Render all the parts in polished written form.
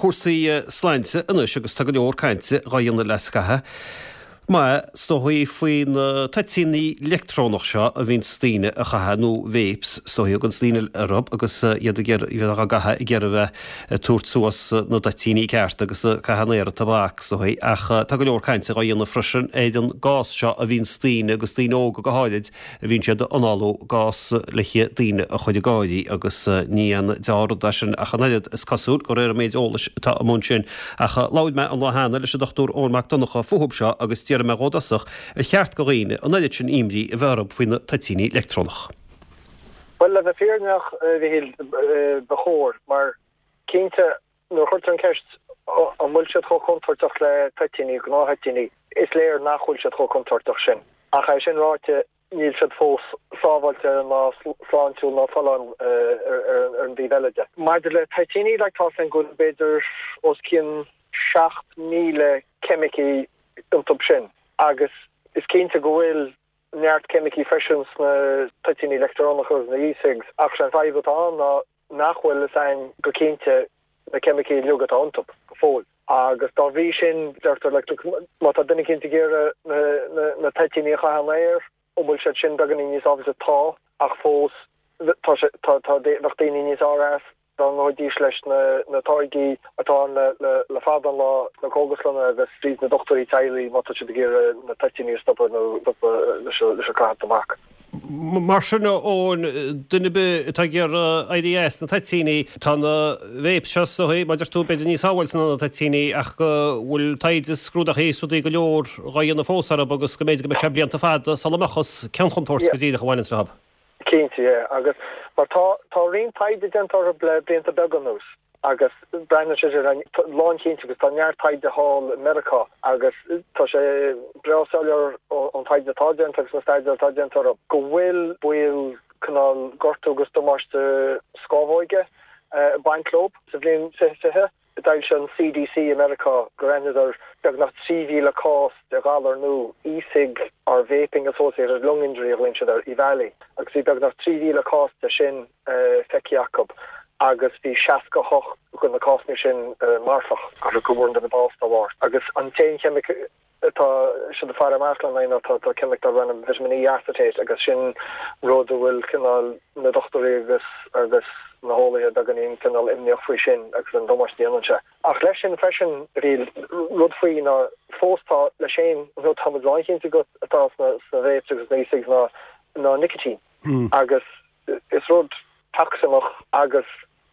Cúrsaí sláinte anois agus tá go leor cainte dhá dhéanamh le scaitheamh maith is dóichí faoi na toitíní leictreonach seo a bhíonns daoine a chaitheamh nó vapes is dóichí a thuganns daoine orthu agus iad ag iarraidh bheith á gcaitheamh ag iarraidh bheith ag tabhairt suas na dtoitíní ceart agus ag caitheamh an aer tobac is dóichí ach tá go leor cainte dhá dhéanamh freisin ar an gás seo a bhíonns daoine agus daoine óga go háirid a bhíonn siad ag análú, gás le daoine a chur ag gáirí agus ní aon deá-rud é sin ach an oiread, is cosúil, de réir an méid eolais atá amuigh ansin. Ach labhair mé an lá cheana leis an Dr Eoin Mac Donncha fúthub seo agus d'fhiafraigh mé dhó i dtosach ar cheart do dhaoine an oiread sin imní a bheith orthu faoi na toitíní leictreonach. Bhuel, le bheith fírinneach, a Mhichíl, ba chóir, mar cinnte, Nuair a chuirtear an cheist an bhfuil siad chomh contúirteach le toitíní, gnáth-thoitíní, is léir nach bhfuil siad chomh contúirteach sin. Ach é sin ráite, níl siad fós sábháilte ná sláintiúil ná folláin ar an dtaobh eile de. Maidir le toitíní, like, tá a fhios againn go bhfuil b'fhéidir os cionn 7,000 ceimicí iontu sin agus is cinnte go bhfuil neart ceimicí freisin sna toitíní leictreonacha agus na e-cigs ach sé an fadhb atá ann ná nach bhfuil fhios a'inn go cinnte na ceimicí uilig atá iontu go fóill. Agus dá bhrí sin, deirtear, like, look, má tá duine eicínt ag iarraidh na, na, na toitíní a chaitheamh an aer, an bhfuil siad sin beagáinín níos sábháilte? Tá, ach fós, tá sé, tá, tá, bheadh daoine níos fearr as dá ngabhaidís leis na, na táirgí atá ann le, le, le fada an lá sna cógaslanna agus fríd na dochtúirí teaghlaigh má tá siad ag iarraidh na toitíní a stopadh nó stopadh leis an, leis an caitheamh tobac. Mar sin, a Eoin, duine ar bith atá ag iarraidh éirí as na toitíní, tá na vapes seo is dóichí, mar a deir tú, b'fhéidir níos sábháilte ná na toitíní ach go bhfuil taighde, scrúdachaí is rudaí go leor dhá dhéanamh fós orthu agus go mb'fhéidir go mbeidh sé blianta fada sula mbeadh fhios cén chontúirt go díreach a bhaineanns leo. Cinnte, yeah. Agus mar tá, tá roinnt taighde déanta orthu le blianta beaga anuas. Agus breathnaíonn sé sin lánchinnte agus tá neart taighde thall i Meiriceá agus tá sé breá soiléir ón taighde atá déanta agus na staidéir atá déanta orthu go bhfuil baol cineál gortú agus damáiste scámhóige ag baint leo. Sa bhliain 2020, d'fhoilsigh an CDC i Meiriceá gur aithneadar beagnach 3,000 cás de ghalar nua, e-cig or vaping associated lung injury a ghlaonn siad air, EVALI, agus bhí beagnach 3,000 cás de sin feicthe acu agus bhí 68 de na cásanna sin marfach, agus go bhfuair an duine bás dá bharr. Agus an t-aon cheimic atá siad ag faire amach lena aghaidh ná tá ceimic darb ainm vitamin E acetate agus sin rud a bhfuil cineál na dochtúirí agus agus na heolaithe beagáinín cineál imníoch faoi sin agus an damáiste a dhéanann sé. Ach leis sin freisin, bhí rud faoi ná fós tá leis féin nó tá muid lánchinnte go atá sna sna vapes agus sna e-cigs ná ná nicotine agus Is rud tocsaineach agus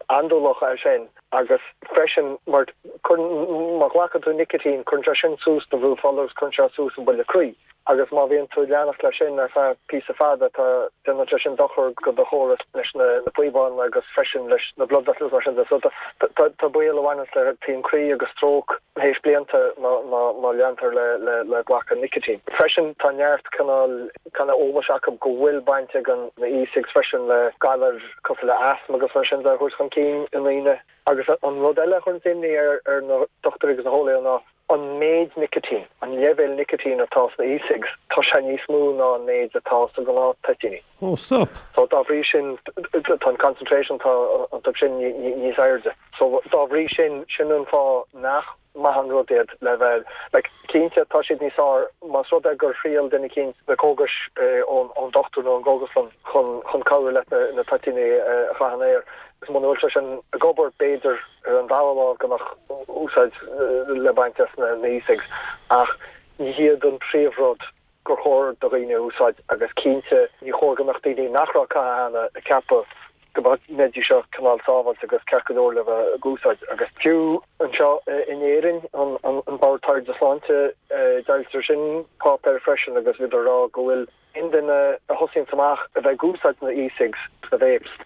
andúileach é sin agus freisin mar cuireann, má ghlacann tú nicitín, cuireann sé sin suas do bhrú fola agus cuireann sé suas an buille croí agus má bhíonn tú ag leanacht leis sin ar feadh píosa fada tá, déanann sé sin dochar go do chóras leis na píobáin agus freisin leis na blood vessels mar sin de. So tá, tá baol a bhaineanns le taom croí agus stróc théis blianta má, má, má leantar le, le, le glacadh nicitín. Freisin tá neart cineál. cineál eolais acu go bhfuil baint ag an na e-cigs freisin le galair cosúil le asthma agus mar sin de a thabhairt chun cinn i ndaoine. Agus an rud eile a chuireanns imní ar ar na dochtúirí agus na heolaithe ná an méid nicitín, an leibhéal nicitín atá sna e-cigs, tá sé níos mó ná an méid atá sa ghnáth toitíní. Oh, stop. So dá bhrí sin tá an concentration atá iontu sin níos airde. So dá bhrí sin, sin an fáth nach maith an rud iad le bheith, like, cinnte tá siad níos fearr más rud é gur thriail duine eicínt na cógais ón dochtúir nó ón gcógaslann chun chun cabhrú leat na na toitíní a chaitheamh an aer agus muna bhfuil sé sin ag obair b'fhéidir ar an dara lámh go mbeadh úsáid le baint as na na e-cigs ach ní hiad an príomhrud gur chóir do dhaoine a úsáid agus cinnte ní chóir go mbeadh daoine nach raibh ag caitheamh cheana ag ceapadh go mbeidís seo cineál sábháilte agus ceart go leor le bheith ag úsáid. Agus fiú anseo in Éirinn, an Bord Taighde Sláinte, d'fhoilsigh sin páipéar freisin agus bhíodar ag rá go bhfuil aon duine a thosaíonns amach a bheith ag úsáid na e-cigs, na vapes,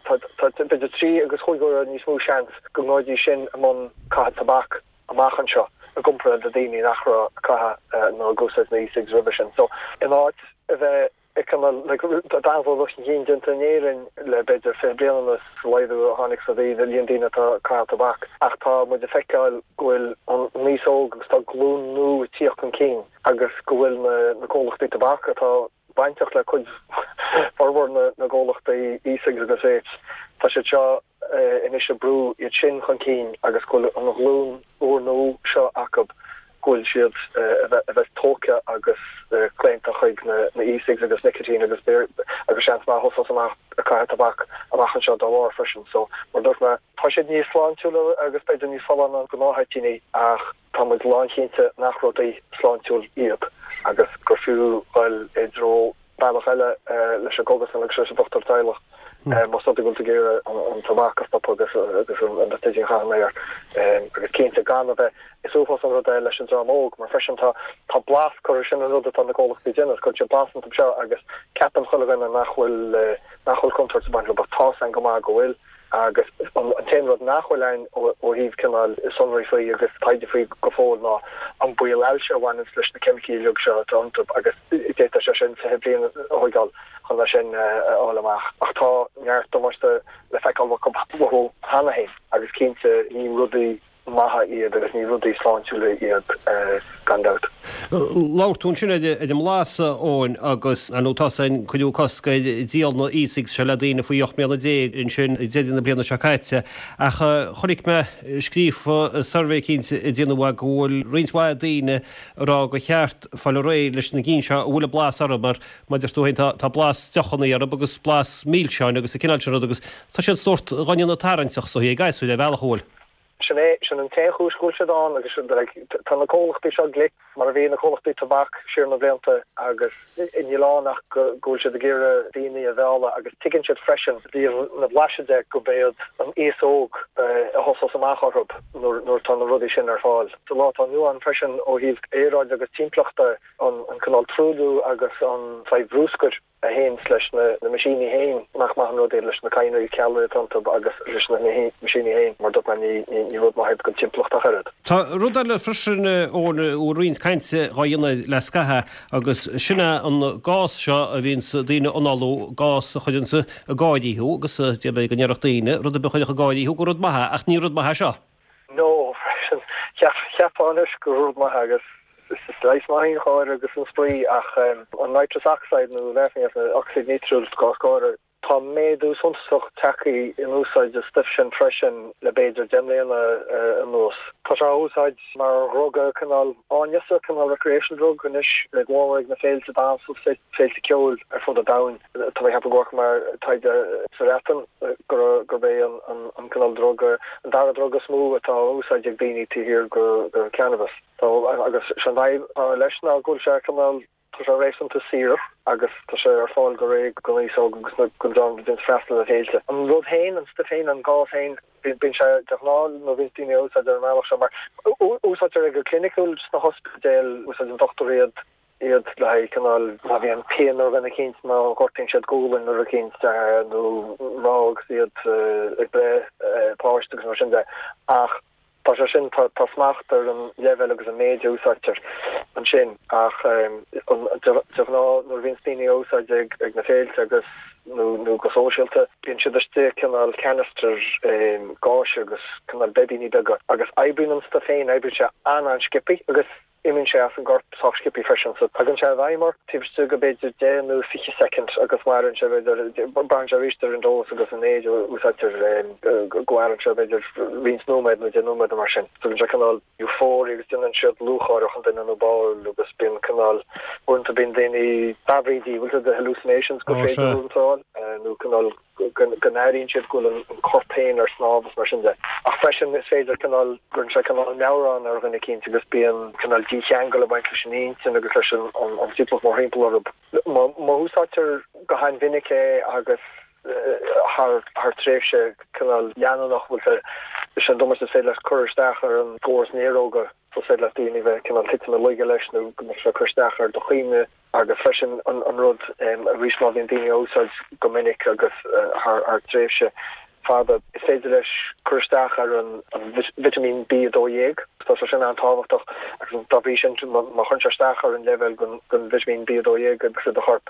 tá b'fhéidir trí agus chúig uaire níos mó seans go ngabhfaidís sin i mbun caitheamh tobac. amach anseo i gcomparáid le daoine nach raibh ag caitheamh nó ag úsáid na e-cigs roimhe sin. So, in áit a bheith ag cineál, like, tá an-dhul chun cinn déanta in Éirinn le b'fhéidir 20 bliain anuas sa laghdú a tháinig sa daoine, líon daoine atá ag caitheamh tobac ach tá muid ag feiceáil go bhfuil an aos óg agus tá glúin nua ag tíocht chun cinn agus go bhfuil na, na comhlachtaí tobac atá bainteach le cuid, formhór na, na gcomhlachtaí e-cigs agus vapes, tá siad seo. anois ag brú iad sin chun cinn agus go bhfuil an ghlúin úrnua seo acu go bhfuil siad a bheith tógtha agus claonta chuig na e-cigs agus nicotine agus agus seans maith thosós amach ag caitheamh tobac amach anseo dá bharr freisin. So, mar a dúirt mé, tá siad níos sláintiúla agus b'fhéidir níos folláine ná gnáth-thoitíní ach tá muid lánchinnte nach rudaí sláintiúil iad agus gur fiú dhul i dtreo bealach eile leis an gcógaslann agus leis an dochtúir teaghlach más rud é go bhfuil tú ag iarraidh an tobac a stopadh agus an toitín a chaitheamh air agus cinnte gan a bheith Is uafás an rud é leis an dream óg mar freisin tá tá blas curtha sin an rud atá na comhlachtaí ag déanamh cuireann siad blas iontu seo agus ceapann chuile dhuine nach bhfuil nach bhfuil contúirt ag baint leo ach tá's againn go maith go bhfuil. Agus an t-aon rud nach bhfuil ann ó thaobh cineál sonraí faoi agus taighde faoi go fóill ná an baol ailse a bhaineanns leis na ceimicí uilig seo atá iontu agus d'fhéadfadh sé sin 20 bliain a thóigeáil chun é sin a fháil amach. Ach tá neart damáiste le feiceáil uathu cheana féin agus cinnte ní rudaí maithe iad agus ní rudaí sláintiúla iad gan dabht. Labhair tú ansin ar an mblas, a Eoin, agus ar ndóigh tá's againn cuireadh cosc ar dhíol na e-cigs seo le daoine faoi 18 mbliana ansin ag deireadh na bliana seo caite. Ach chonaic mé scríofa i suirbhé eicínt a déanadh go bhfuil roinnt mhaith daoine ag rá gur cheart fáil réidh leis na cinn seo a bhfuil an blas orthu mar mar a deir tú féin tá blas deochanna orthu agus blas milseáin agus an cineál sin rud agus tá siad sórt dhá ndéanamh tarraingteach is dóichí ag gasúir ar bhealach an bhfuil. Sin é, sin an t-aon chúis go bhfuil siad ann agus like tá na comhlachtaí seo glic mar a bhí na comhlachtaí tobac siar na blianta agus níl ann ach go bhfuil siad ag iarraidh daoine a mhealladh agus tuigeann siad freisin i dtaobh na blaiseadh de go mb'iad an aos óg a thosós amach orthu nuair nuair atá na rudaí sin ar fáil. Sa lá atá inniu ann freisin ó thaobh aeráide agus timpeallachta an an cineál truailliú agus an saghas brúscair a théanns leis na meaisíní féin, nach maith an rud é leis na cadhnraí cealla atá iontu agus leis na meaisíní féin, mar dúirt mé, ní rud maith iad don timpeallacht ach oiread. Tá rud eile freisin, Eoin, a bhfuil roinnt cainte dhá dhéanamh le scaitheamh agus sin é an gás seo a bhíonns daoine a análú, gás a chuireanns ag gáirí thú agus d'fhéadfadh go ndéarfadh daoine, rud ar bith a chuirfeadh ag gáirí thú gur rud maith é ach ní rud maith é seo. No, freisin. Cheapfá anois gur rud maith é agus is leigheas maith í an gháire agus an spraoi ach an nitrous oxide nó laughing gas, ocsaíd nítriúil, gás gáire, tá méadú suntasach tagtha in úsáid an stuif sin freisin le b'fhéidir 10 mbliana anuas. Tá sé á úsáid mar dhruga cineál áineasa, cineál recreational drug anois, go mór mór ag na féilte damhsa, féilte ceoil ar fud an domhain. Tá mé ag ceapadh go bhfaca mé taighde sa Bhreatain gurb é an cineál druga, an dara druga is mó atá á úsáid ag daoine taobh thiar de cannabas. Agus sé an fhadhb atá leis ná go bhfuil sé cineál, tá sé réasúnta saor agus tá sé ar fáil go réidh don aos óg agus don dream a bhíonns freastal ar féilte. An rud féin, an stuif féin, an gás féin, bíonn sé de ghnáth nuair a bhíonns daoine á úsáid ar an mbealach seo mar úsáidtear é go cliniciúil sna hospidéil, úsáideann dochtúirí iad iad le haghaidh cineál, má bhíonn pian ar dhuine eicínt, má ghortaíonn siad gualainn nó rud eicínt, nó mná agus iad ag breith páiste agus mar sin de. Ach tá sé sin, tá smacht ar an leibhéal agus an méid a úsáidtear ansin. Ach de ghnáth nuair a bhíonns daoine á úsáid ag na féilte agus nó nó go sóisialta, bíonn siad istigh cineál canister gáis agus cineál beibíní beaga agus oibríonn an stuif féin, oibríonn sé an-an-sciobthaí agus Imíonn sé as an gcorp sách sciobthaí freisin so tagann sé i bhfeidhm ort taobh istigh de b'fhéidir 10 nó 20 soicind agus maireann sé b'fhéidir, braitheann sé arís ar an dós agus an méid a úsáidtear, go maireann sé b'fhéidir roinnt nóiméad nó 10 nóiméad nó mar sin. So bíonn sé cineál euphoria agus déanann siad lúcháireach an duine nó ball agus bíonn cineál, uaireanta bíonn daoine mheabhraídí, bhfuil tú, the hallucinations gur féidir uaireanta a fháil nó cineál. go n-airíonn siad go bhfuil an corp féin ar snámh is mar sin de. Ach freisin is féidir cineál, cuireann sé cineál meabhrán ar dhuine eicínt agus bíonn cineál dícheangal ag baint leis an intinn agus leis an timpeallacht mórthimpeall orthu. Má úsáidtear go han-mhinic é agus thar thar tréimhse cineál leanúnach, bhfuil sé, is é an damáiste is féidir leis cur isteach ar an gcóras néaróga, so is féidir le daoine bheith cineál titim i laige leis nó go mbeadh sé ag cur isteach ar do chuimhne. Agus freisin an rud, arís má bhíonn daoine á úsáid go minic agus thar tréimhse fada, is féidir leis cur isteach ar an vitimín B12. Tá sé sin an-tábhachtach agus dá bhrí sin má chuireann sé isteach ar an leibhéal den vitimín B12 agus i do chorp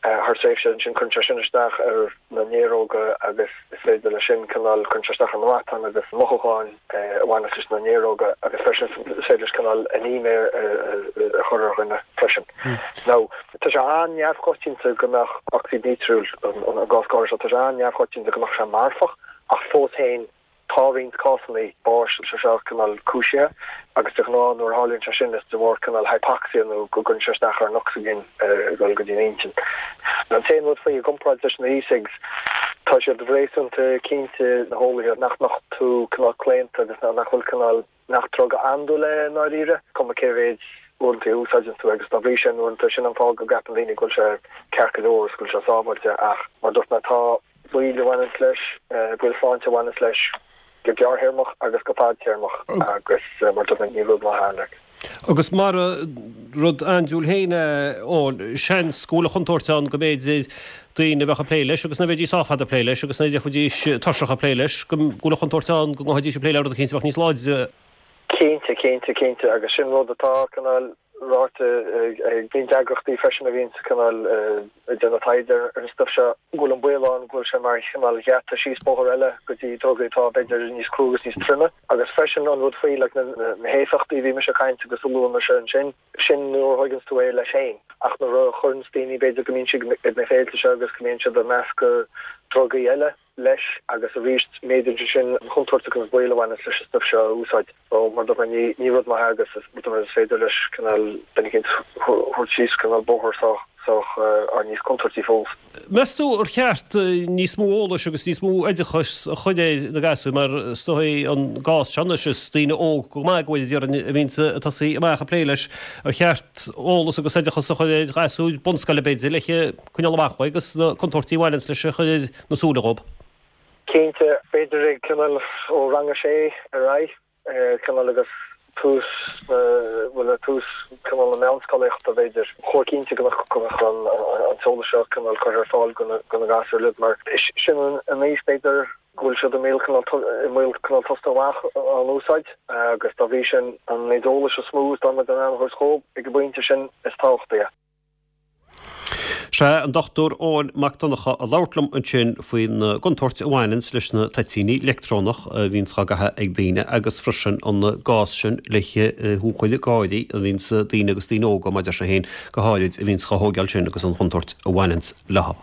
thar tréimhse, ansin cuireann sé sin isteach ar na néaróga agus is féidir leis sin cineál, cuireann sé isteach ar na matáin agus mothúcháin a bhaineas leis na néaróga agus freisin is féidir leis cineál anéime a chur ar dhuine freisin. Now, tá sé an-neamhchoitianta go mbeadh ocsaíd nítriúil, an gás gáire seo, tá sé an-neamhchoitianta go mbeadh sé marfach. Ach fós féin, tá roinnt cásanna báis sé seo cineál cúisithe agus de ghnáth nuair a tharlaíonn sé sin is de bharr cineál hypoxia nó go gcuireann sé isteach ar an ocsaigin ag dul go dtí an intinn. An t-aon rud faoi i gcomparáid leis na e-cigs, tá siad réasúnta cinnte, na heolaithe, nach mbeadh tú cineál claonta agus nach bhfuil cineál nach druga andúil é i ndáiríre, cuma cé mhéid uaireanta a úsáideann tú agus dá bhrí sin uaireanta sin an fáth go gceapann daoine go bhfuil sé ceart go leor agus go bhfuil sé sábháilte ach mar a dúirt mé tá baol a bhaineanns leis, baol sláinte a bhaineanns leis go gearrthéarmach agus go fadtéarmach agus mar a dúirt mé ní rud maith é like. Agus mara rud andúil féin é, Eoin, seans go bhfuil an chontúirt ann go mb'fhéidir daoine a bheadh ag plé leis agus ná bheidís sách fada ag plé leis agus ná bheidís tuirseach ag plé leis, go bhfuil an chontúirt ann go ngabhfaidís ag plé le rud eicínt a bheadh níos láidre. Cinnte, cinnte, cinnte agus sin rud atá cineál ráite ag roinnt eagraíochtaí freisin a bhíonns cineál ag déanamh taighde ar an stuif seo, go bhfuil an baol ann go bhfuil sé mar chineál gheata síos bóthar eile go dtí drugaí atá b'fhéidir níos crua agus níos troime. Agus freisin an rud faoi like na héifeachtaí a bhí mise ag caint agus a luaigh mise ansin, sin nuair a thóigeanns tú é leis féin. Ach nuair a chuireanns daoine b'fhéidir go mbíonn siad ag na féilte seo agus go mbíonn siad ag meascadh drugaí eile, leis agus arís méadaíonn sé sin an chontúirt agus an baol a bhaineanns leis an stuif seo a úsáid. So mar a dúirt mé ní ní rud maith é agus is rud is féidir leis cineál duine eicínt thabhairt síos cineál bóthar sách sách ar níos contúirtí fós. Meas tú ar cheart níos mó eolais agus níos mó oideachais a chur ar na gasúir mar is dóigh an gás seo anois is daoine óg go maith go bhfuil déarfainn a bhíonns ag tosaí amach ag plé leis ar cheart eolas agus oideachas a chur ar ghasúir bunscoile b'fhéidir le coinneáil amach uaidh agus na contúirtí a bhaineanns leis a chur ar na súile dhób. Cinnte, b'fhéidir ag cineál ó rang a sé ar aghaidh, cineál agus tús na, bhuel tús cineál na meánscolaíochta b'fhéidir. Chóir cinnte go mbeadh, go mbeadh an t-eolas seo cineál curtha ar fáil go na gasúir uilig mar sin an aois b'fhéidir go bhfuil siad i mbaol cineál, i mbaol cineál tosnú amach á n-úsáid agus dá bhrí sin an méid eolais is mó is dá mbeadh in ann a thabhairt dhób ag an bpointe sin is tábhachtaí é. Sea, an Dr Eoin Mac Donncha ag labhairt liom ansin faoin gcontúirt a bhaineanns leis na toitíní leictreonach a bhíonns á gcaitheamh ag daoine agus freisin an gás sin le thú a chur ag gáirí a bhíonns daoine agus daoine óga, mar deir sé féin, go háirid, a bhíonns á thóigeáil sin agus an chontúirt a bhaineanns leo.